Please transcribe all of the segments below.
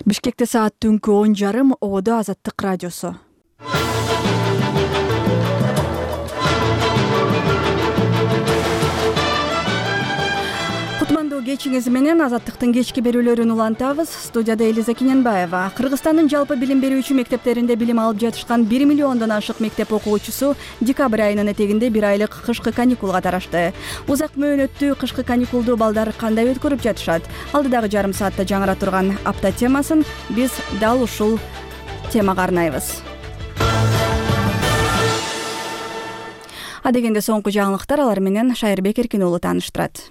Бишкекте саат түнкү 10:30 ободо Азаттык радиосу. Кутмандуу кечиңиз менен Азаттыктын кечки берүүлөрүн улантабыз. Студияда Элиза Кененбаева. Кыргызстандын жалпы билим берүүчү мектептеринде билим алып жатышкан 1 миллиондон ашык мектеп окуучусу декабрь айынын этегинде 1 айлык кышкы каникулга тарашты. Узак мөөнөттүү кышкы каникулду балдар кандай өткөрүп жатышат? Алдыдагы жарым саатта жаңыра турган апта темасын биз дал ушул темага арнайбыз. Адегенде соңку жаңылыктар, алар менен Шайырбек Эркин уулу тааныштырат.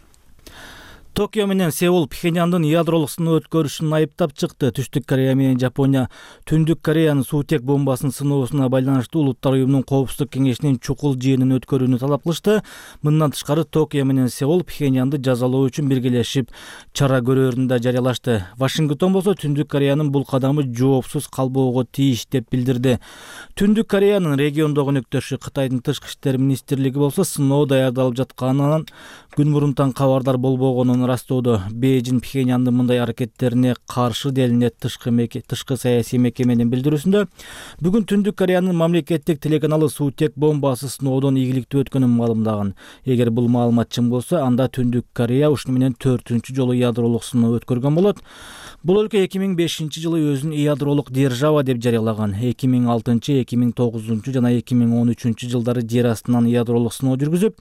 Токио менен Сеул Пхеньяндын ядролук сыноо өткөрүшүн айыптап чыкты. Түштүк Корея менен Жапония Түндүк Кореянын суутек бомбасын сыноосуна байланыштуу Улуттар уюмунун Коопсуздук кеңешинин чукул жыйынын өткөрүүнү талап кылышты. Мындан тышкары Токио менен Сеул Пхеньянды жазалоо үчүн биргелешип чара көрөөрүн да жарыялашты. Вашингтон болсо Түндүк Кореянын бул кадамы жоопсуз калбоого тийиш деп билдирди. Түндүк Кореянын региондогу өнөктөшү Кытайдын тышкы иштер министрлиги болсо сыноо даярдалып жатканынан күн мурунтан кабардар болбогонун растоодо. Бейжин Пхеньяндын мындай аракеттерине каршы делинет тышкы саясий мекеменин билдирүүсүндө. Бүгүн Түндүк Кореянын мамлекеттик телеканалы суутек бомбасы сыноодон ийгиликтүү өткөнүн маалымдаган. Эгер бул маалымат чын болсо, анда Түндүк Корея ушуну менен 4-чү жолу ядролук сыноо өткөргөн болот. Бул өлкө 2005-жылы өзүн ядролук держава деп жарыялаган. 2006, 2009 жана 2013 жылдары жер астынан ядролук сыноо жүргүзүп,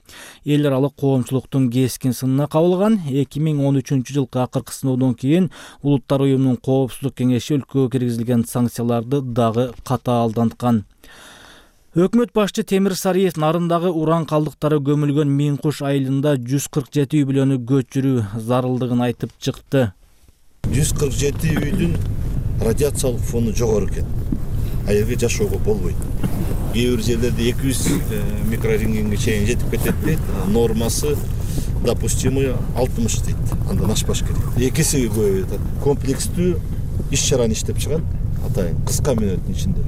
эл аралык коомчулуктун кескин сынына кабылган. 2013 жылкы акыркы сыноодон кийин Улуттар уюмунун Коопсуздук кеңеши өлкөгө киргизилген санкцияларды дагы катаалданткан. Өкмөт башчы Темир Сариев нарындагы уран калдыктары көмүлгөн Миңкуш айылында 147 үй бүлөнү көчүрүү зарылдыгын айтып чыкты. 147 үйдүн радиациялык фону жогору экен. Аерге жашоого болбойт. Кээ бир жерлерде 200 микрорентгенге чейин жетип кетет дейт. Нормасы допустимый 60 дейт. Андан ашпаш керек. Экиси көп. Комплекстүү иш-чараны иштеп чыгат. Атайын кыска мөөнөттүн ичинде.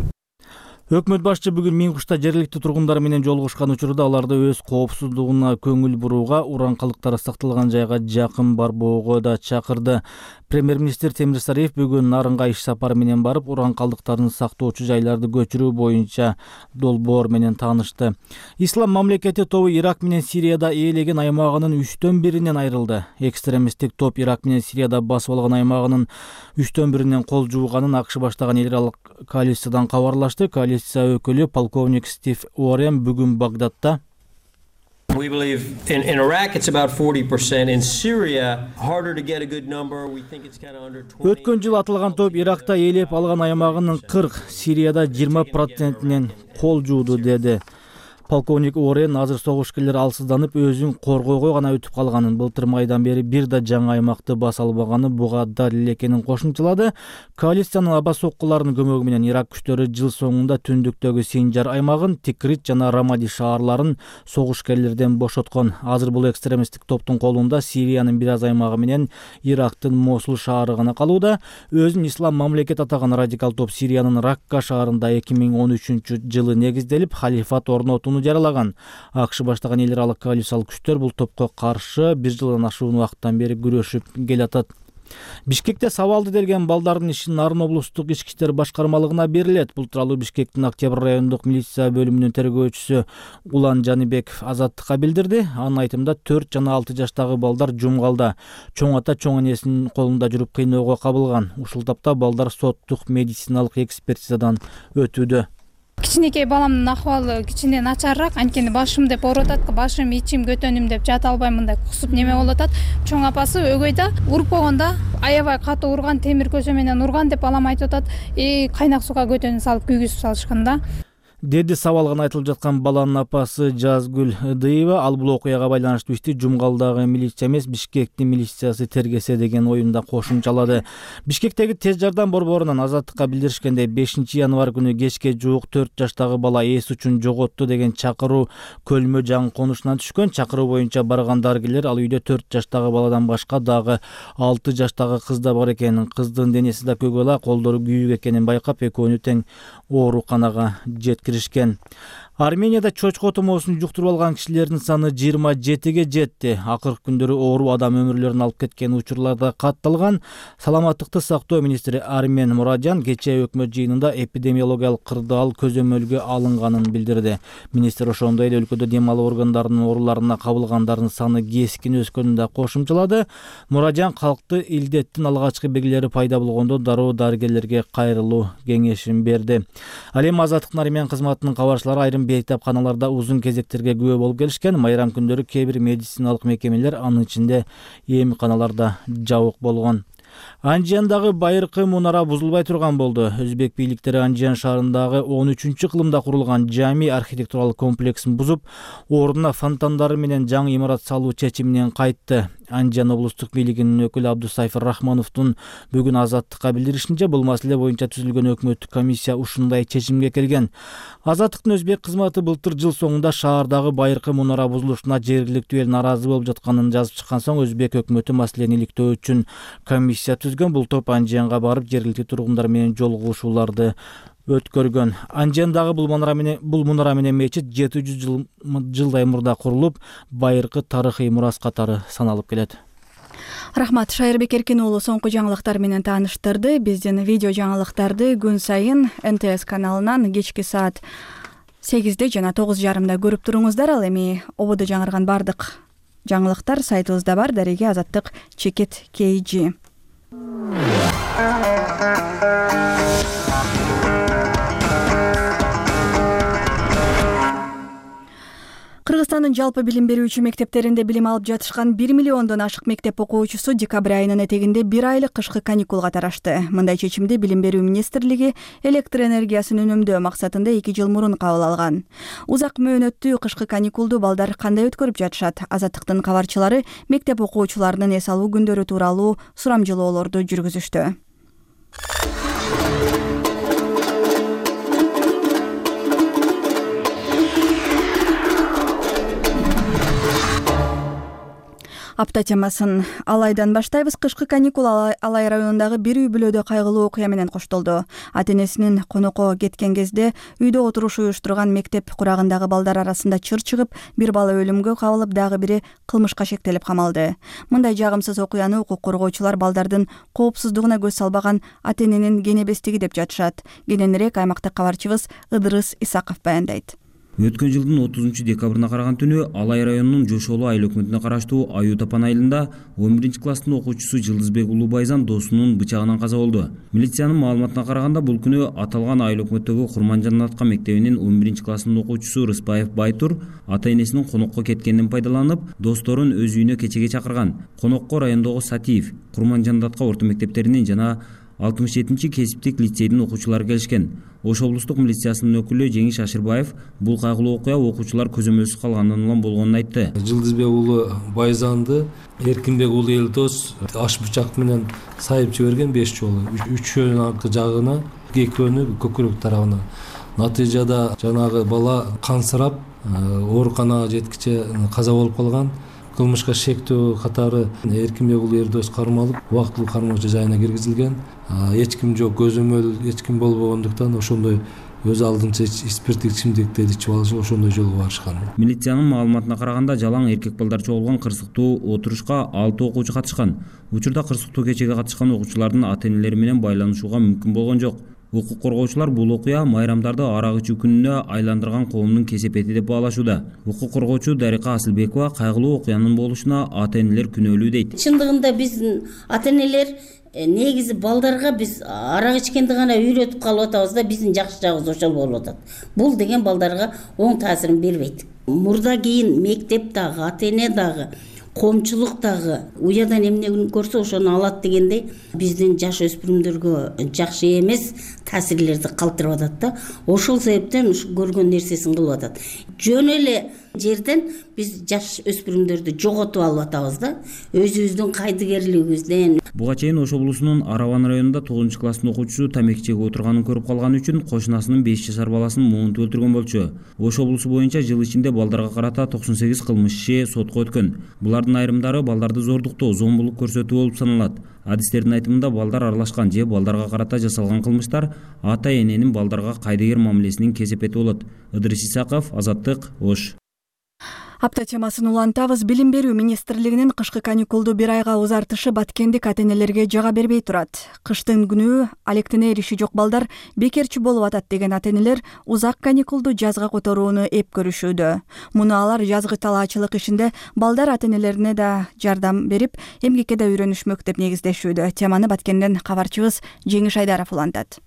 Өкмөт башчы бүгүн Миңкушта жергиликтүү тургундар менен жолугушкан учурда аларды өз коопсуздугуна көңүл бурууга, уран калдыктары сакталган жайга жакын барбоого да чакырды. Премьер-министр Темир Сариев бүгүн Нарынга иш сапары менен барып, уран калдыктарын сактоочу жайларды көчүрүү боюнча долбоор менен таанышты. Ислам мамлекети тобу Ирак менен Сирияда ээлеген аймагынын 1/3 айрылды. Экстремисттик топ Ирак менен Сирияда басып алган аймагынын 1/3 кол жууганын АКШ баштаган эл аралык коалициядан кабарлашты. Коалиция өкүлү полковник Стив Уоррен бүгүн Багдадда We believe in Iraq it's about 40%. In Syria, harder to get a good number. We think it's kind of under 20. Өткөн жыл атылган топ Иракта ээлеп алган аймагынын 40, Сирияда 20%-нен кол жууду деди. Полковник Уоррен азыр согушкерлер алсызданып, өзүн коргоого гана өтүп калганын, былтыр майдан бери бир да жаңы аймакты баса албаганы буга далил экенин кошумчалады. Коалициянын аба соккуларынын көмөгү менен Ирак күчтөрү жыл соңунда түндүктөгү Синжар аймагын, Тикрит жана Рамади шаарларын согушкерлерден бошоткон. Азыр бул экстремисттик топтун колунда Сириянын бир аз аймагы менен Ирактын Мосул шаары гана калууда. Өзүн ислам мамлекет атаган радикал топ Сириянын Ракка шаарында 2013-жылы негизделип, халифат орнотууну жаралаган. АКШ баштаган эл аралык коалициялык күчтөр бул топко каршы бир жылдан ашуун убакыттан бери күрөшүп келатат. Бишкекте сабалды делген балдардын ишин Нарын облустук ички иштер башкармалыгына берилет. Бул тууралуу Бишкектин Октябрь райондук милиция бөлүмүнүн тергөөчүсү Улан Жаныбеков Азаттыкка билдирди. Анын айтымында 4 жана 6 жаштагы балдар жумгалда, чоң ата чоң энесинин колунда жүрүп кыйноого кабылган. Ушул тапта балдар соттук медициналык экспертизадан өтүүдө. Кичинекей баламдын акыбалы кичине начарыраак, анткени башым деп ооруп атат, башым, ичим, көтөнүм деп жата албайм, мындай кусуп неме болуп атат. Чоң апасы өгөйдө уруп койгондо аябай катуу урган, темир көчө менен урган деп балам айтып атат. Кайнак сууга көтөнүп салып күйгүзүп салышкан да. Деди сабалган айтылып жаткан баланын апасы Жазгүл Ыдыева. Ал бул окуяга байланыштуу ишти жумгалдагы милиция эмес, Бишкектин милициясы тергесе деген оюнда кошумчалады. Бишкектеги тез жардам борборунан Азаттыкка билдиришкенде 5 январь күнү кечке жуук 4 жаштагы бала эс үчүн жоготту деген чакыруу Көлмө жаңы конушунан түшкөн. Чакыруу боюнча барган дарыгерлер ал үйдө 4 жаштагы баладан башка дагы 6 жаштагы кыз да бар экенин, кыздын денеси да көгала, колдору күйүк экенин байкап, экөөнү тең ооруканага жеткиришкен. Арменияда чочко тумоосун жуктуруп алган кишилердин саны 27ге жетти. Акыркы күндөрү оору адам өмүрлөрүн алып кеткен учурларда катталган. Саламаттыкты сактоо министри Армен Мураджан кечээ өкмөт жыйынында эпидемиологиялык кырдаал көзөмөлгө алынганын билдирди. Министр ошондой эле өлкөдө дем алуу органдарынын ооруларына кабылгандардын саны кескин өскөнүн да кошумчалады. Мураджан калкты илдеттин алгачкы белгилери пайда болгондо дароо дарыгерлерге кайрылуу кеңешин берди. Ал эми Азаттыктын армян кызматынын кабарчылары айрым бейтапканаларда узун кезектерге күбө болуп келишкен. Майрам күндөрү кээ бир медициналык мекемелер, анын ичинде эмканаларда жабык болгон. Анжиандагы байыркы мунара бузулбай турган болду. Өзбек бийликтери Анжиан шаарындагы 13-кылымда курулган жами архитектуралык комплексин бузуп, ордуна фонтандары менен жаңы имарат салуу чечиминен кайтты. Анжиан облустук бийлигинин өкүлү Абдусайфыр Рахмановдун бүгүн Азаттыкка билдиришинче, бул маселе боюнча түзүлгөн өкмөттүк комиссия ушундай чечимге келген. Азаттыктын өзбек кызматы былтыр жыл соңунда шаардагы байыркы мунара бузулушуна жергиликтүү эл нааразы болуп жатканын жазып чыккан соң, өзбек өкмөтү маселени иликтөө үчүн комиссия түзгөн. Бул топ Анжианга барып жергиликтүү тургундар менен жолугушууларды өткөргөн. Анжиандагы бул мунара менен мечит 700 жылдай мурда курулуп, байыркы тарыхый мурас катары саналып келет. Рахмат, Шайырбек Эркин уулу соңку жаңылыктар менен тааныштырды. Биздин видео жаңылыктарды күн сайын НТС каналынан кечки саат 8-де жана 9:30 көрүп туруңуздар. Ал эми ободо жаңырган бардык жаңылыктар сайтыбызда бар. Дареге Азаттык чекит KG. Кыргызстандын жалпы билим берүүчү мектептеринде билим алып жатышкан 1 миллиондон ашык мектеп окуучусу декабрь айынын этегинде 1 айлык кышкы каникулга тарашты. Мындай чечимди Билим берүү министрлиги электр энергиясын үнөмдөө максатында 2 жыл мурун кабыл алган. Узак мөөнөттүү кышкы каникулду балдар кандай өткөрүп жатышат? Азаттыктын кабарчылары мектеп окуучуларынын эс алуу күндөрү тууралуу сурамжылоолорду жүргүзүштү. Апта темасын Алайдан баштайбыз. Кышкы каникул Алай районундагы бир үй бүлөдө кайгылуу окуя менен коштолду. Ата-энесинин конокко кеткен кезде үйдө отуруш уюштурган мектеп курагындагы балдар арасында чыр чыгып, бир бала өлүмгө кабылып, дагы бири кылмышка шектелип камалды. Мындай жагымсыз окуяны укук коргоочулар балдардын коопсуздугуна көз салбаган ата-эненин кенебестиги деп жатышат. Кененирээк аймактык кабарчыбыз Ыдырыс Исаков баяндайт. Өткөн жылдын 30 декабрына караган түнү Алай районунун Жошолу айыл өкмөтүнө караштуу Аю Тапан айылында 11 класстын окуучусу Жылдызбек Улубайзан досунун бычагынан каза болду. Милициянын маалыматына караганда, бул күнү аталган айыл өкмөттөгү Курманжанатка мектебинин 11 класстын окуучусу Рыспаев Байтур ата-энесинин конокко кеткенин пайдаланып, досторун өз үйүнө кечеге чакырган. Конокко райондогу Сатиев, Курманжанатка орто мектептеринин жана 67-чи кесиптик лицейдин окуучулары келишкен. Ош облустук милициясынын өкүлү Жеңиш Ашырбаев бул кайгылуу окуя окуучулар көзөмөлсүз калгандан улам болгонун айтты. Жылдызбек уулу Байзанды Эркинбек уулу Элдос аш бычак менен сайып жиберген 5 жолу. Үчөөнүн аркы жагына, экөөнү көкүрөк тарабына. Натыйжада жанагы бала кансырап, ооруканага жеткиче каза болуп калган. Кылмышка шектөө катары Эркинбек уулу Элдос кармалып, убактылуу кармоочу жайына киргизилген. Эч ким жок, көзөмөл эч ким болбогондуктан ошондой өз алдынча спирттик ичимдиктерди ичип алышып, ошондой жолго барышкан. Милициянын маалыматына караганда, жалаң эркек балдар чогулган кырсыктуу отурушка 6 окуучу катышкан. Учурда кырсыктуу кечеге катышкан окуучулардын ата-энелери менен байланышууга мүмкүн болгон жок. Укук коргоочулар бул окуя майрамдарды арак ичүү күнүнө айландырган коомдун кесепети деп баалашууда. Укук коргоочу Дарика Асылбекова кайгылуу окуянын болушуна ата-энелер күнөөлүү дейт. Чындыгында биздин ата-энелер негизи балдарга биз арак ичкенди гана үйрөтүп калып атабыз да, биздин жакшы жагыбыз ошол болуп атат. Бул деген балдарга оң таасирин бербейт. Мурда кийин мектеп дагы, ата-эне дагы, коомчулук дагы уядан эмне көрсө ошону алат дегендей биздин жаш өспүрүмдөргө жакшы эмес таасирлерди калтырып атат да. Ошол себептен ушу көргөн нерсесин кылып атат. Жөн эле жерден биз жаш өспүрүмдөрдү жоготуп алып атабыз да, өзүбүздүн кайдыгерлигибизден. Буга чейин Ош облусунун Араван районунда 9-класстын окуучусу тамеки чегип отурганын көрүп калганы үчүн кошунасынын 5 жашар баласын муунтуп өлтүргөн болчу. Ош облусу боюнча жыл ичинде балдарга карата 98 кылмыш иши сотко өткөн. Булардын айрымдары балдарды зордуктоо, зомбулук көрсөтүү болуп саналат. Адистердин айтымында балдар аралашкан же балдарга карата жасалган кылмыштар ата-эненин балдарга кайдыгер мамилесинин кесепети болот. Ыдырыс Исаков, Азаттык, Ош. Апта темасын улантабыз. Билим берүү министрлигинин кышкы каникулду 1 айга узартышы баткендик ата-энелерге жага бербей турат. Кыштын күнү алектенер иши жок балдар бекерчи болуп атат деген ата-энелер узак каникулду жазга которууну эп көрүшүүдө. Муну алар жазгы талаачылык ишинде балдар ата-энелерине да жардам берип, эмгекке да үйрөнүшмөк деп негиздешүүдө. Теманы Баткенден кабарчыбыз Жеңиш Айдаров улантат.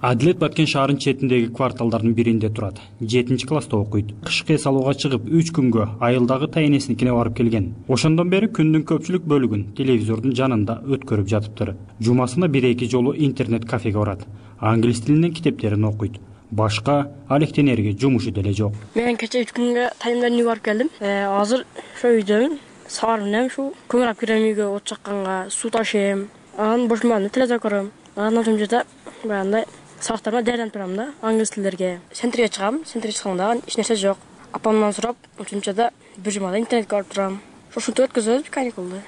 Адилет Баткен шаарынын четиндеги кварталдардын биринде турат. 7-класста окуйт. Кышкы эс алууга чыгып 3 күнгө айылдагы тайнесиникине барып келген. Ошондон бери күндүн көпчүлүк бөлүгүн телевизордун жанында өткөрүп жатыптыр. Жумасына 1-2 жолу интернет-кафеге барат. Англис тилинен китептерин окуйт. Башка алектенерге жумушу деле жок. Мен кече 3 күнгө тайымдан үйгө барып келдим. Азыр ошо үйдөмүн. Саар менен ушу көңүл кирем үйгө, от жакканга, суу ташыйм. Анан бош маалында телевизор көрөм. Анан ошол жерде баягындай сабактарыма даярданып турам да, англис тилдерге. Центрге чыгам, центрге чыкканда эч нерсе жок. Апамдан сурап, ошончада бир жумада интернетке барып турам. Ошентип өткөзөбүз каникулду.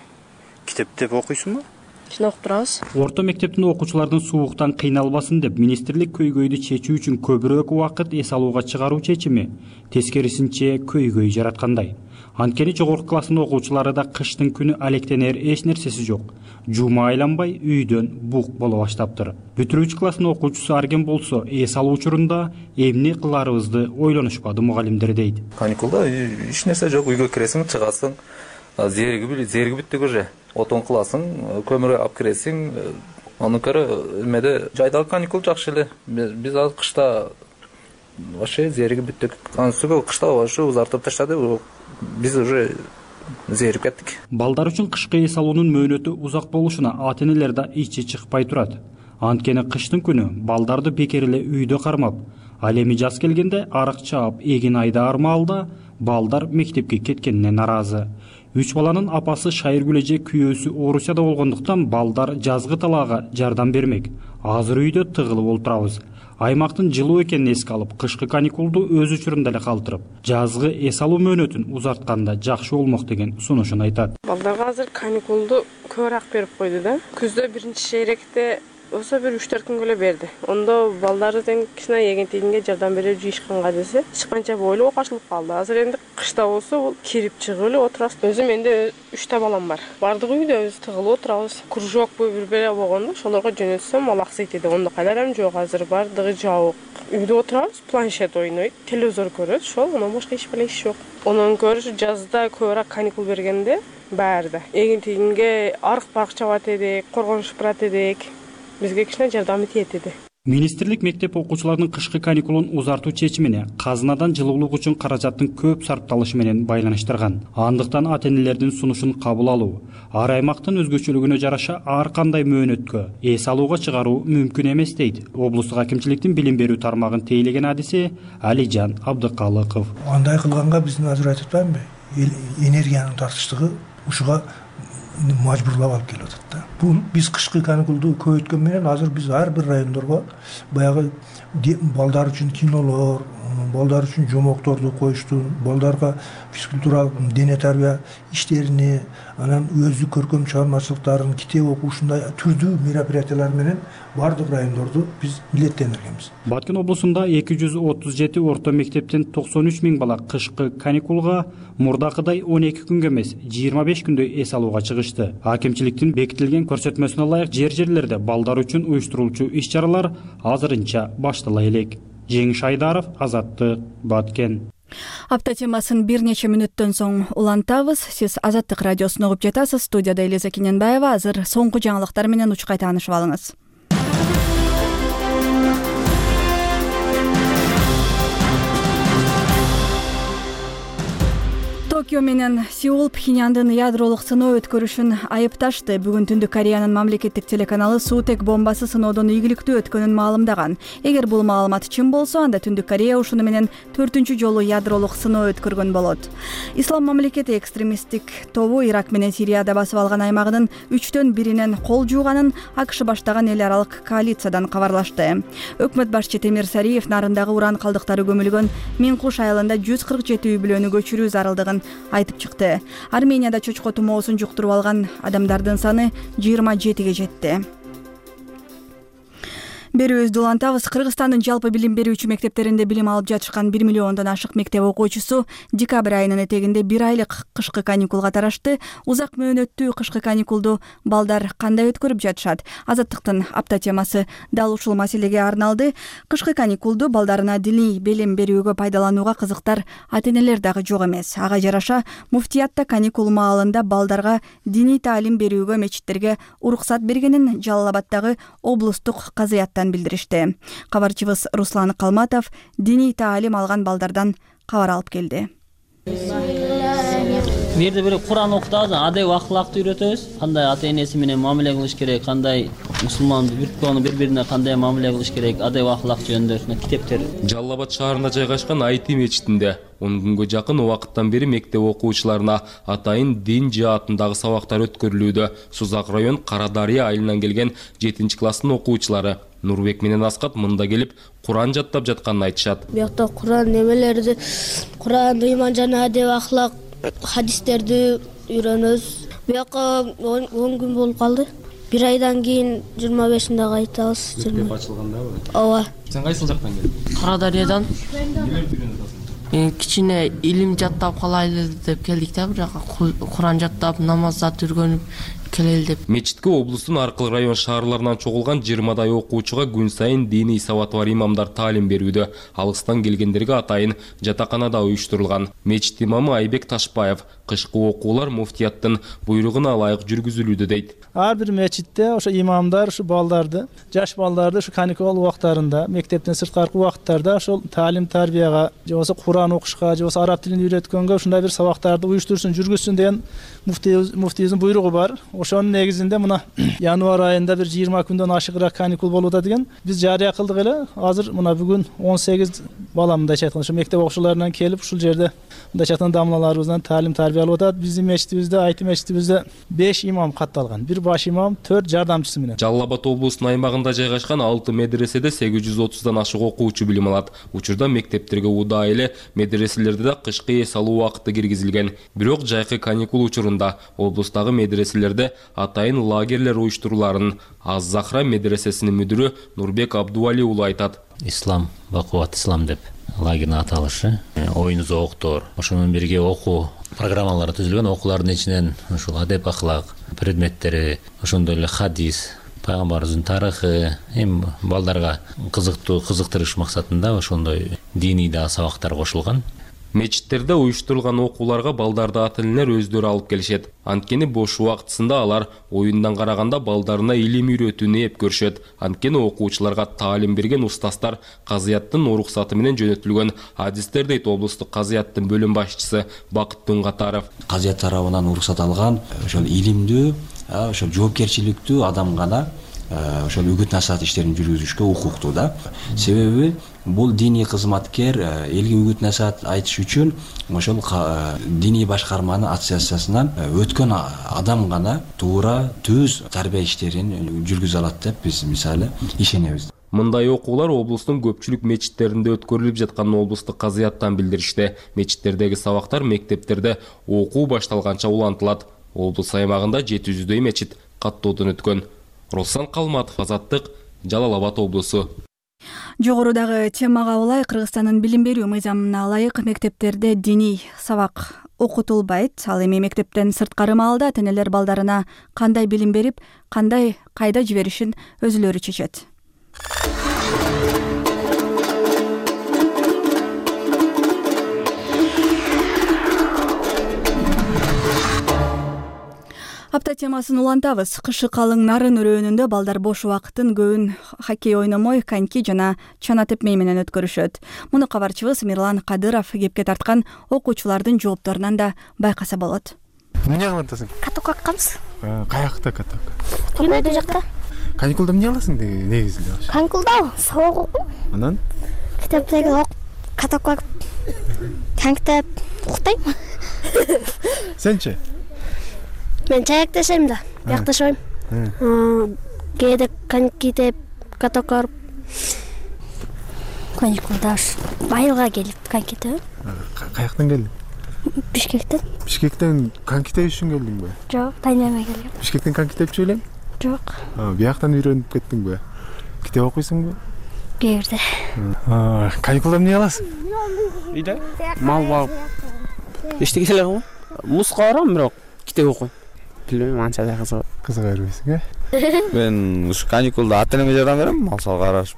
Китептеп окуйсуңбу? Кичине окуп турабыз. Орто мектептин окуучулардын сууктан кыйналбасын деп министрлик көйгөйдү чечүү үчүн көбүрөөк убакыт эс алууга чыгаруу чечими тескерисинче көйгөй жараткандай. Анткени жогорку класстын окуучулары да кыштын күнү алектенер эч нерсеси жок. Жума айланбай үйдөн бук боло баштаптыр. Бүтүрүүчү класстын окуучусу Арген болсо, эс алуу учурунда эмне кыларыбызды ойлонушпады мугалимдер дейт. Каникулда эч нерсе жок, үйгө киресиң, чыгасың, зерги бүттүк уже. Отон кыласың, көмүр алып киресиң, анын көрө эмеде жайдагы каникул жакшы эле. Биз азыр кышта вообще зерги бүттүк. Анысы кышта вообще узартып таштады. Биз уже зерип кеттик. Балдар үчүн кышкы эс алуунун мөөнөтү узак болушуна ата-энелер да ичи чыкпай турат. Анткени кыштын күнү балдарды бекер эле үйдө кармап, ал эми жаз келгенде арык чаап, эгин айдаар маалда балдар мектепке кеткенине наразы. 3 баланын апасы Шайыргүл эже күйөөсү Орусияда болгондуктан балдар жазгы талаага жардам бермек. Азыр үйдө тыгылып отурабыз. Аймактын жылуу экенин эске алып, кышкы каникулду өз учурунда эле калтырып, жазгы эс алуу мөөнөтүн узартканда жакшы болмок деген сунушун айтат. Балдарга азыр каникулду көбүрөөк берип койду да. Күздө биринчи шейректе болсо бир 3-4 күнгө эле берди. Ондо балдарды тең кичине эгентигинге жардам берип жыйышканга десе, чыкканча бойлуу окашылып калды. Азыр энди кышта болсо бул кирип чыгып эле отурабыз. Өзүм менде 3 балам бар. Бардыгы үйдөбүз, тыгылып отурабыз. Кружокпу бир-бире болгондо ошолорго жөнөтсөм ал аксайт эди. Ондо кайдарам жок, азыр бардыгы жабык. Үйдө отурабыз, планшет ойнойт, телевизор көрөт, ошол, анан башка эч беле иш жок. Онун көрүш жазда көбүрөөк каникул бергенде баарда эгентигинге арык-барык чабат эдик, коргонуш барат эдик. Бизге кичине жардамы тиет эди. Министрлик мектеп окуучуларынын кышкы каникулун узартуу чечимине казынадан жылуулук үчүн каражаттын көп сарпталышы менен байланыштырган. Андыктан ата-энелердин сунушун кабыл алуу, ар аймактын өзгөчөлүгүнө жараша ар кандай мөөнөткө эс алууга чыгаруу мүмкүн эмес дейт облустук акимчиликтин билим берүү тармагын тейлеген адиси Алижан Абдыкалыков. Андай кылганга биздин азыр айтып атпаймынбы? Энергиянын тартыштыгы ушуга мажбурлап алып келип атат да. Бул биз кышкы каникулду көбөйткөн менен азыр биз ар бир райондорго баягы балдар үчүн кинолор, балдар үчүн жомокторду коюшту, балдарга физкультуралык дене тарбия иштерини, анан өздүк көркөм чыгармачылыктарын, китеп окуушундай түрдүү мероприятиялар менен бардык райондорду биз милдеттендиргенбиз. Баткен облусунда 237 орто мектептен 93 000 бала кышкы каникулга мурдакыдай 12 күнгө эмес, 25 күндөй эс алууга чыгышты. Акимчиликтин бекитилген көрсөтмөсүнө ылайык жер-жерлерде балдар үчүн уюштурулчу иш-чаралар азырынча баштала элек. Жеңиш Айдаров, Азаттык, Баткен. Апта темасын бир нече мүнөттөн соң улантабыз. Сиз Азаттык радиосун угуп жатасыз. Студияда Элиза Кененбаева. Азыр соңку жаңылыктар менен учкай таанышып алыңыз. Токио менен Сеул Пхеньяндын ядролук сыноо өткөрүшүн айыпташты. Бүгүн Түндүк Кореянын мамлекеттик телеканалы суутек бомбасы сыноодон ийгиликтүү өткөнүн маалымдаган. Эгер бул маалымат чын болсо, анда Түндүк Корея ушуну менен 4-чү жолу ядролук сыноо өткөргөн болот. Ислам мамлекети экстремисттик тобу Ирак менен Сирияда басып алган аймагынын 3төн биринен кол жууганын АКШ баштаган эл аралык коалициядан кабарлашты. Өкмөт башчы Темир Сариев нарындагы уран калдыктары көмүлгөн Минкуш айылында 147 үй бүлөнү көчүрүү зарылдыгын айтып чыкты. Арменияда чочко тумоосун жуктуруп алган адамдардын саны 27ге жетти. Берүүбүздү улантабыз. Кыргызстандын жалпы билим берүүчү мектептеринде билим алып жатышкан 1 миллиондон ашык мектеп окуучусу декабрь айынын этегинде 1 айлык кышкы каникулга тарашты. Узак мөөнөттүү кышкы каникулду балдар кандай өткөрүп жатышат? Азаттыктын апта темасы дал ушул маселеге арналды. Кышкы каникулду балдарына диний билим берүүгө пайдаланууга кызыктар ата-энелер дагы жок эмес. Ага жараша муфтиятта каникул маалында балдарга диний таалим берүүгө мечиттерге уруксат бергенин Жалал Абаддагы облустук казыяттан билдиришти. Кабарчыбыз Руслан Калматов диний таалим алган балдардан кабар алып келди. Бирде бир Куран окутабыз, адеп ахлакты үйрөтөбүз. Кандай ата-энеси менен мамиле кылыш керек, кандай мусулман бири-бирине кандай мамиле кылыш керек, адеп ахлак жөнүндө китептер. Жалал Абад шаарында жайгашкан Айти мечитинде 10 күнгө жакын убакыттан бери мектеп окуучуларына атайын дин жаатындагы сабактар өткөрүлүүдө. Сузак район Кара Дарыя айылынан келген 7-класстын окуучулары Нурбек менен Аскат мында келип Куран жаттап жатканын айтышат. Биякта Куран немелерди, Куран, ыйман жана адеп ахлак хадистерди үйрөнөбүз. Бияка 10 күн болуп калды. 1 айдан кийин 25-inde кайтабыз. Мектеп ачылгандабы? Ооба. Сен кайсыл жактан келдиң? Кара Дарыядан. Эмнелерди үйрөнүп атасың? Кичине илим жаттап калайлы деп келдик да, бирок Куран жаттап, намаздарды үйрөнүп келели деп. Мечитке облустун аркылы район шаарларынан чогулган 20дай окуучуга күн сайын диний сабаты бар имамдар таалим берүүдө. Алыстан келгендерге атайын жатаканада уюштурулган. Мечит имамы Айбек Ташбаев кышкы окуулар муфтияттын буйругуна ылайык жүргүзүлүүдө дейт. Ар бир мечитте ошо имамдар ушу балдарды, жаш балдарды ушу каникул убактарында, мектептен сырткаркы убакыттарда ошол таалим тарбияга, же болбосо Куран окушка, же болбосо араб тилин үйрөткөнгө ушундай бир сабактарды уюштурсын, жүргүзсүн деген муфтийибиздин буйругу бар. Ошонун негизинде мына январь айында бир 20 күндөн ашыгыраак каникул болуп атат экен. Биз жарыя кылдык эле. Азыр мына бүгүн 18 бала мындайча айтканда ушу мектеп окуучуларынан келип ушул жерде мындайча айтканда дамлаларыбыздан таалим тарбия алып атат. Биздин мечитибизде, Айти мечитибизде 5 имам катталган. Бир баш имам, 4 жардамчысы менен. Жалал Абад облусунун аймагында жайгашкан 6 медреседе 830дан ашык окуучу билим алат. Учурда мектептерге удаа эле медреселерде да кышкы эс алуу убакыты киргизилген. Бирок жайкы каникул учурунда облустагы медреселерде атайын лагерлер уюштуруларын Аз-Захра медресесинин мүдүрү Нурбек Абдували уулу айтат. Ислам, бакубат ислам деп лагердин аталышы. Оюн зооктор, ошонун бирге окуу программалары түзүлгөн. Окуулардын ичинен ушул адеп ахлак предметтери, ошондой эле хадис, пайгамбарыбыздын тарыхы, балдарга кызыктырыш максатында ошондой диний да сабактар кошулган. Мечиттерде уюштурулган окууларга балдарды ата-энелер өздөрү алып келишет. Анткени бош убактысында алар оюндан караганда балдарына илим үйрөтүүнү эп көрүшөт. Анткени окуучуларга таалим берген устаздар казыяттын уруксаты менен жөнөтүлгөн адистер дейт облустук казыяттын бөлүм башчысы Бакыт Туңгатаров. Казыят тарабынан уруксат алган ошол илимдүү, ошол жоопкерчиликтүү адам гана ошол үгүт насаат иштерин жүргүзүшкө укуктуу да. Себеби бул диний кызматкер элге үгүт насаат айтыш үчүн ошол диний башкарманын ассоциациясынан өткөн адам гана туура түз тарбия иштерин жүргүзө алат деп биз мисалы ишенебиз. Мындай окуулар облустун көпчүлүк мечиттеринде өткөрүлүп жатканын облустук казыяттан билдиришти. Мечиттердеги сабактар мектептерде окуу башталганча улантылат. Облус аймагында 700дөй мечит каттоодон өткөн. Руслан Калматов, Азаттык, Жалал Абад облусу. Жогорудагы темага улай Кыргызстандын билим берүү мыйзамына ылайык мектептерде диний сабак окутулбайт. Ал эми мектептен сырткары маалда ата-энелер балдарына кандай билим берип, кандай кайда жиберишин өзүлөрү чечет. Апта темасын улантабыз. Кышы калың нарын өрөөнүндө балдар бош убакытын көбүн хоккей ойномой, коньки жана чана тепмей менен өткөрүшөт. Муну кабарчыбыз Мирлан Кадыров кепке тарткан окуучулардын жоопторунан да байкаса болот. Эмне кылып атасың? Каток акканбыз. Каякта каток? Түнөдө жакта. Каникулда эмне кыласың негизинде? Каникулда сабак окуйм. Анан? Китептеги каток акып, коньки уктайм. Сенчи? Мен чаяк тешем да, биякташпайм. Кээде коньки теп, каток арып. Каникулда Байылга келип коньки теп. Каяктан келдиң? Бишкектен. Бишкектен коньки тепиш үчүн келдиңби? Жок, тайнемей келдим. Бишкектен коньки тепчү элем? Жок. Бияктан үйрөнүп кеттиңби? Китеп окуйсуңбу? Кээ бирде. Каникулда эмне кыласың? Үйдө мал багып эчтеке эле кылам. Музга барам, бирок китеп окуйм. Билбейм, анча да кызыга бербейсиң, Мен ушу каникулда ата-энеме жардам берем, мал сал карашып.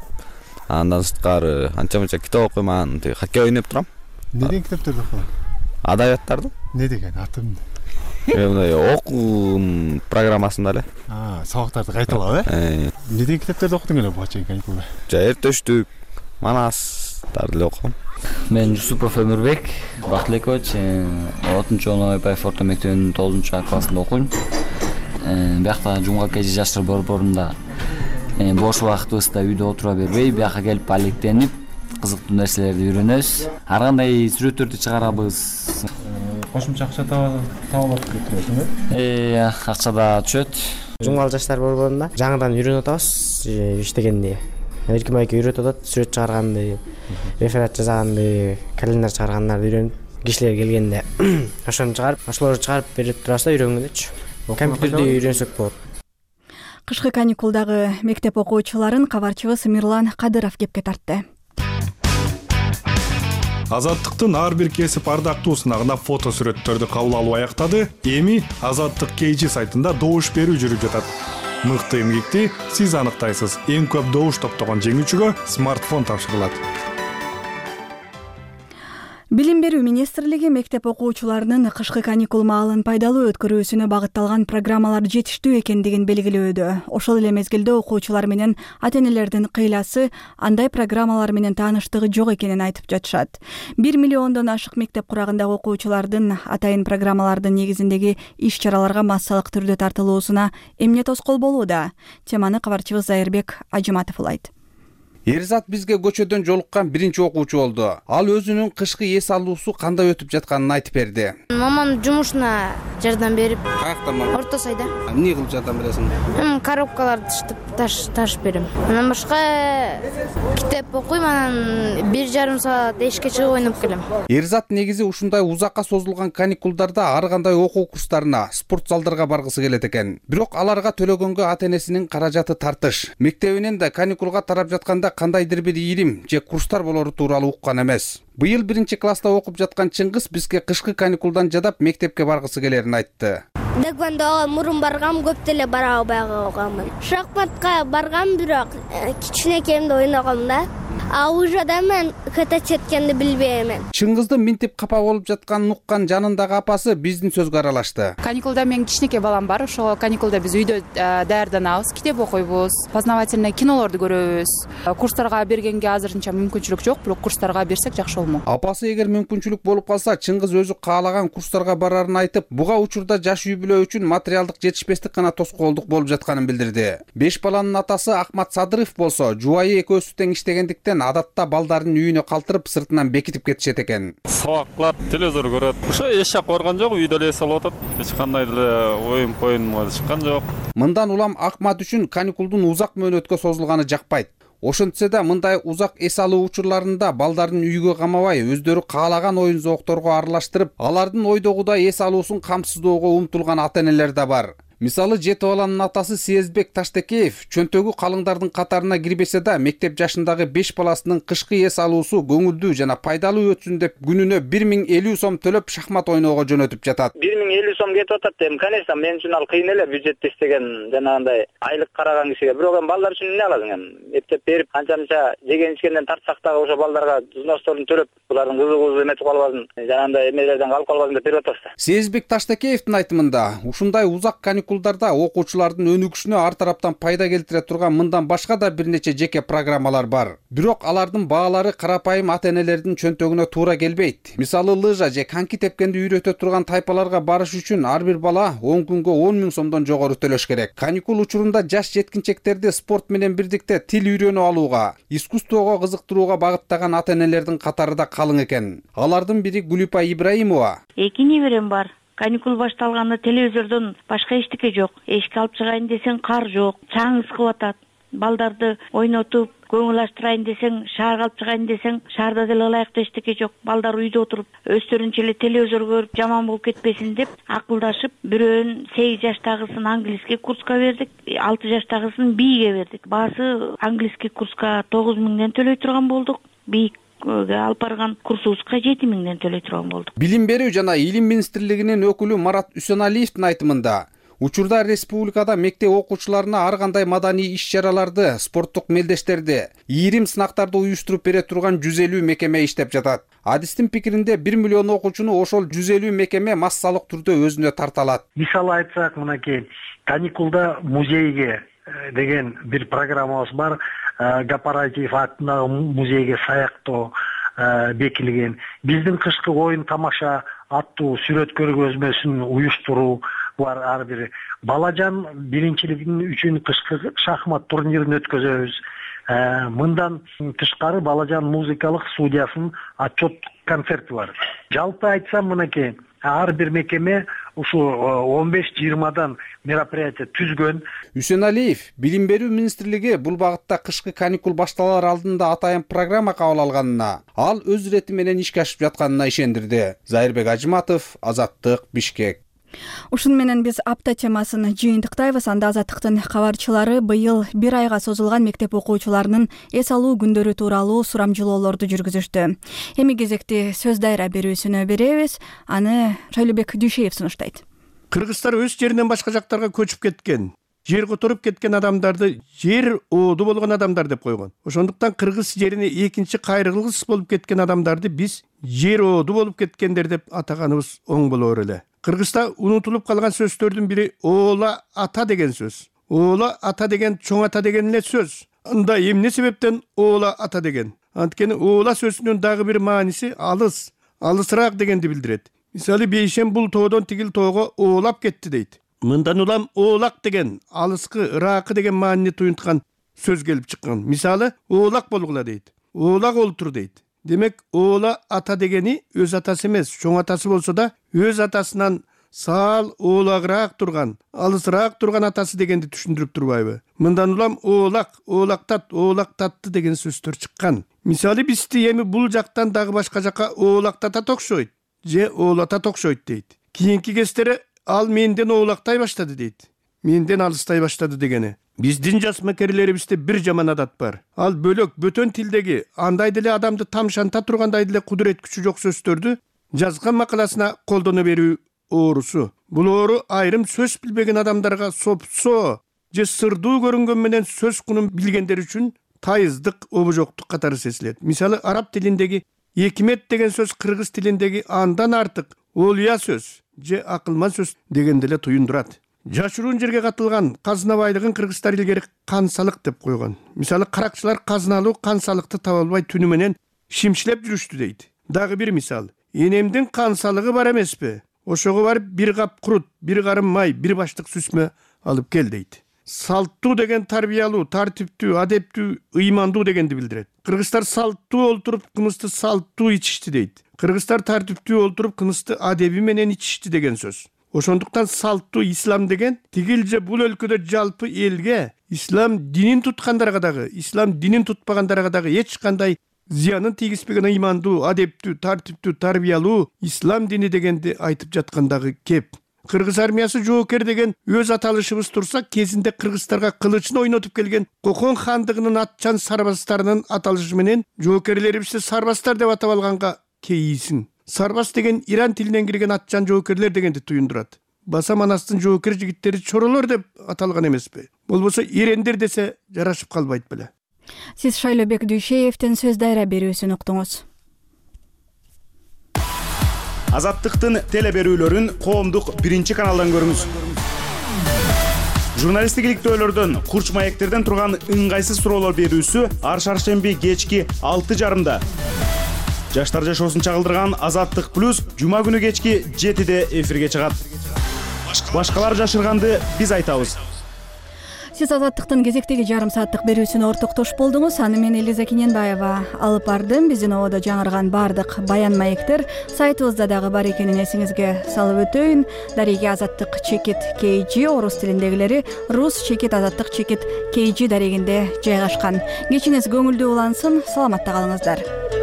Андан сырткары анча-мынча китеп окуйм, анан хоккей ойноп турам. Не деген китептерди окуйсуң? Адабияттарды. Не деген атым? Мындай окуу программасында эле. Сабактарды кайталап, Не деген китептерди окудуң эле буга чейин каникулда? Эртөштүк, Манастарды эле окугум. Мен Жусупов Өмүрбек Бактылекович, 6-чы Оноойбаев орто мектебинин 9-чу классында окуйм. Биякта жумга кежи жаштар борборунда бош убактыбызда үйдө отура бербей, бияка келип алектенип, кызыктуу нерселерди үйрөнөбүз. Ар кандай сүрөттөрдү чыгарабыз. Кошумча акча табылат деп турасың, Акча да түшөт. Жумгал жаштар борборунда жаңыдан үйрөнүп атабыз, иштегенди. Эркин байке үйрөтүп атат, сүрөт чыгарганды, реферат жазганды, календарь чыгаргандарды үйрөнүп, кишилер келгенде ошону чыгарып, ошолорду чыгарып берип турабыз да үйрөнгөндөчү. Компьютерди үйрөнсөк болот. Кышкы каникулдагы мектеп окуучуларын кабарчыбыз Мирлан Кадыров кепке тартты. Азаттыктын ар бир кесип ардактуу сынагына фото сүрөттөрдү кабыл алуу аяктады. Эми Азаттык KG сайтында добуш берүү жүрүп жатат. Мыкты эмгекти сиз аныктайсыз. Эң көп добуш топтогон жеңүүчүгө смартфон тапшырылат. Билим берүү министрлиги мектеп окуучуларынын кышкы каникул маалын пайдалуу өткөрүүсүнө багытталган программалар жетиштүү экендигин белгилөөдө. Ошол эле мезгилде окуучулар менен ата-энелердин кыйласы андай программалар менен тааныштыгы жок экенин айтып жатышат. 1 миллиондон ашык мектеп курагындагы окуучулардын атайын программалардын негизиндеги иш-чараларга массалык түрдө тартылуусуна эмне тоскоол болууда? Теманы кабарчыбыз Зайырбек Ажыматов улайт. Эрзат бизге көчөдөн жолуккан биринчи окуучу болду. Ал өзүнүн кышкы эс алуусу кандай өтүп жатканын айтып берди. Мамам жумушуна жардам берип. Каякта мама? Орто сайда. Эмне кылып жардам бересиң? Коробкаларды ташып берем. Анан башка китеп окуйм, анан 1,5 саат эшикке чыгып ойноп келем. Эрзат негизи ушундай узакка созулган каникулдарда ар кандай окуу курстарына, спорт залдарга баргысы келет экен. Бирок аларга төлөгөнгө ата-энесинин каражаты тартыш. Мектебинен да каникулга тарап жатканда кандайдыр бир ийрим же курстар болору тууралуу уккан эмес. Быйыл 1-чи класста окуп жаткан Чыңгыз бизге кышкы каникулдан жадап мектепке баргысы келерин айтты. Дагвандага мурун баргам, көп деле бара албай калганмын. Шахматка баргам, бирок кичинекейимде ойногом да. А уже да мен ката четкенди билбейм. Чыңгыздын минтип капа болуп жатканын уккан жанындагы апасы биздин сөзгө аралашты. Каникулда менин кичинекей балам бар. Ошол каникулда биз үйдө даярданабыз, китеп окуйбуз, познавательный кинолорду көрөбүз. Курстарга бергенге азырынча мүмкүнчүлүк жок, бирок курстарга берсек жакшы болмок. Апасы эгер мүмкүнчүлүк болуп калса, Чыңгыз өзү каалаган курстарга барарын айтып, буга учурда жаш үй-бүлө үчүн материалдык жетишпестик гана тоскоолдук болуп жатканын билдирди. 5 баланын атасы Ахмат Садыров болсо, жубайы экөөсү тең иштегендиктен адатта балдарын үйүнө калтырып сыртынан бекитип кетишет экен. Сабак телевизор көрөт. Ошо эч жак барган жок, үйдө эле эс алып атат. Эч кандай деле оюн чыккан жок. Мындан улам Ахмат үчүн каникулдун узак мөөнөткө созулганы жакпайт. Ошентсе да мындай узак эс алуу учурларында балдарын үйгө камабай, өздөрү каалаган оюн зоокторго аралаштырып, алардын ойдогудай эс алуусун камсыздоого умтулган ата-энелер да бар. Мисалы жети баланын атасы Сезбек Таштекеев чөнтөгү калыңдардын катарына кирбесе да мектеп жашындагы 5 баласынын кышкы эс алуусу көңүлдүү жана пайдалуу өтсүн деп күнүнө 1050 сом төлөп шахмат ойноого жөнөтүп жатат. 1050 сом кетип атат эми, конечно, мен үчүн ал кыйын эле, бюджетти иштеген жанагындай айлык караган кишиге. Бирок эми балдар үчүн эмне кыласың эми? Эптеп берип канча жеген ичкенден тартсак дагы ошо балдарга взносторун төлөп, булардын кызыгуусу эметип калбасын, жанагындай эмелерден калып калбасын деп берип атабыз да. Сезбек Таштекеевдин айтымында, ушундай узак каникулдарда окуучулардын өнүгүшүнө ар тараптан пайда келтире турган мындан башка да бир нече жеке программалар бар. Бирок алардын баалары карапайым ата-энелердин чөнтөгүнө туура келбейт. Мисалы лыжа же коньки тепкенди үйрөтө турган тайпаларга барыш үчүн ар бир бала 10 күнгө 10 000 сомдон жогору төлөш керек. Каникул учурунда жаш жеткинчектерди спорт менен бирдикте тил үйрөнүп алууга, искусствого кызыктырууга багыттаган ата-энелердин катары да калың экен. Алардын бири Гулипа Ибраимова. 2 неберем бар. Каникул башталганда телевизордон башка эчтеке жок. Эшикке алып чыгайын десең кар жок, чаң ыскып атат. Балдарды ойнотуп, көңүл ачтырайын десең, шаарга алып чыгайын десең, шаарда деле ылайыктуу эчтеке жок. Балдар үйдө отуруп, өздөрүнчө эле телевизор көрүп, жаман болуп кетпесин деп акылдашып, бирөөнүн 8 жаштагысын английский курска бердик, 6 жаштагысын бийге бердик. Баасы английский курска 9 000ден төлөй турган болдук. Алып барган курсубузга 7 000ден төлөй турган болдук. Билим берүү жана илим министрлигинин өкүлү Марат Үсөналиевдин айтымында, учурда республикада мектеп окуучуларына ар кандай маданий иш-чараларды, спорттук мелдештерди, ийрим сынактарды уюштуруп бере турган 150 мекеме иштеп жатат. Адистин пикиринде 1 миллион окуучуну ошол 150 мекеме массалык түрдө өзүнө тарта алат. Мисалы айтсак, мынакей каникулда музейге деген бир программабыз бар. Гапаратив атындагы музейге саяктоо бекилген. Биздин кышкы оюн тамаша аттуу сүрөт көргөзмөсүн уюштуруу бар. Ар бир балажан биринчилигин үчүн кышкы шахмат турнирин өткөзөбүз. Мындан тышкары балажан музыкалык студиясынын отчет концерти бар. Жалпы айтсам, мынакей ар бир мекеме ушу 15-20дан мероприятие түзгөн. Үсөналиев Билим берүү министрлиги бул багытта кышкы каникул башталар алдында атайын программа кабыл алганына, ал өз ирети менен ишке ашып жатканына ишендирди. Зайырбек Ажыматов, Азаттык, Бишкек. Ушун менен биз апта темасын жыйынтыктайбыз. Анда Азаттыктын кабарчылары быйыл 1 айга созулган мектеп окуучуларынын эс алуу күндөрү тууралуу сурамжылоолорду жүргүзүштү. Эми кезекти сөз дайра берүүсүнө беребиз. Аны Шайлыбек Дүйшеев сунуштайт. Кыргызстар өз жеринен башка жактарга көчүп кеткен, жер которуп кеткен адамдарды жер ооду болгон адамдар деп койгон. Ошондуктан кыргыз жерине экинчи кайрылгыс болуп кеткен адамдарды биз жер ооду болуп кеткендер деп атаганыбыз оң болор эле. Кыргызда унутулуп калган сөздөрдүн бири оола ата деген сөз. Оола ата деген чоң ата деген эле сөз. Анда эмне себептен оола ата деген? Анткени оола сөзүнүн дагы бир мааниси алыс, алысыраак дегенди билдирет. Мисалы бейшем бул тоодон тигил тоого оолап кетти дейт. Мындан улам оолак деген алыскы, ыракы деген маанини туюнткан сөз келип чыккан. Мисалы оолак болгула дейт. Оолак олтур дейт. Демек оола ата дегени өз атасы эмес, чоң атасы болсо да өз атасынан саал оолагыраак турган, алысыраак турган атасы дегенди түшүндүрүп турбайбы? Мындан улам оолак, оолактат, оолактатты деген сөздөр чыккан. Мисалы бизди эми бул жактан дагы башка жака оолактатат окшойт, же оолатат окшойт дейт. Кийинки кездери ал менден оолактай баштады дейт. Менден алыстай баштады дегени. Биздин жас мекерлерибизде бир жаман адат бар. Ал бөлөк бөтөн тилдеги андай деле адамды тамшанта тургандай деле кудурет күчү жок сөздөрдү жазган макаласына колдоно берүү оорусу. Бул оору айрым сөз билбеген адамдарга сопсо же сырдуу көрүнгөн менен сөз кунун билгендер үчүн тайыздык, обожоктук катары сезилет. Мисалы араб тилиндеги экимет деген сөз кыргыз тилиндеги андан артык олуя сөз же акылман сөз дегенди эле туюндурат. Жашыруун жерге катылган казына байлыгын кыргыздар илгери кансалык деп койгон. Мисалы каракчылар казыналуу кансалыкты таба албай түнү менен шимшилеп жүрүштү дейт. Дагы бир мисал. Энемдин кансалыгы бар эмеспи? Ошого барып бир кап курут, бир карым май, бир баштык сүзмө алып кел дейт. Салттуу деген тарбиялуу, тартиптүү, адептүү, ыймандуу дегенди билдирет. Кыргыздар салттуу олтуруп, кымызды салттуу ичишти дейт. Кыргыздар тартиптүү олтуруп, кымызды адеби менен ичишти деген сөз. Ошондуктан салттуу ислам деген тигил же бул өлкөдө жалпы элге, ислам динин туткандарга дагы, ислам динин тутпагандарга дагы эч кандай зыянын тийгизбеген ыймандуу, адептүү, тартиптүү, тарбиялуу ислам дини дегенди айтып жаткандагы кеп. кыргыз армиясы жоокер деген өз аталышыбыз турса, кезинде кыргыздарга кылычын ойнотуп келген Кокон хандыгынын атчан сарбаздарынын аталышы менен жоокерлерибизди сарбаздар деп атап алганга кейисин. Сарбаз деген Иран тилинен кирген атчан жоокерлер дегенди туюндурат. Баса Манастын жоокер жигиттери чоролор деп аталган эмеспи? Болбосо ирендер десе жарашып калбайт беле. Сиз Шайлообек Дүйшеевдин сөз дайра берүүсүн уктуңуз. Азаттыктын теле берүүлөрүн коомдук 1-каналдан көрүңүз. Журналисттик иликтөөлөрдөн, курч маектерден турган ыңгайсыз суроолор берүүсү ар шаршемби кечки 6:30. Жаштар жашоосун чагылдырган Азаттык плюс жума күнү кечки 7-де эфирге чыгат. Башкалар жашырганды биз айтабыз. Сиз Азаттыктын кезектеги жарым сааттык берүүсүнө ортоктош болдуңуз. Аны мен Элиза Кененбаева алып бардым. Биздин ободо жаңырган бардык баян маектер сайтыбызда дагы бар экенин эсиңизге салып өтөйүн. Дареги Азаттык чекит KG орус тилиндегилери рус чекит Азаттык чекит KG дарегинде жайгашкан. Кечиңиз көңүлдүү улансын. Саламатта калыңыздар.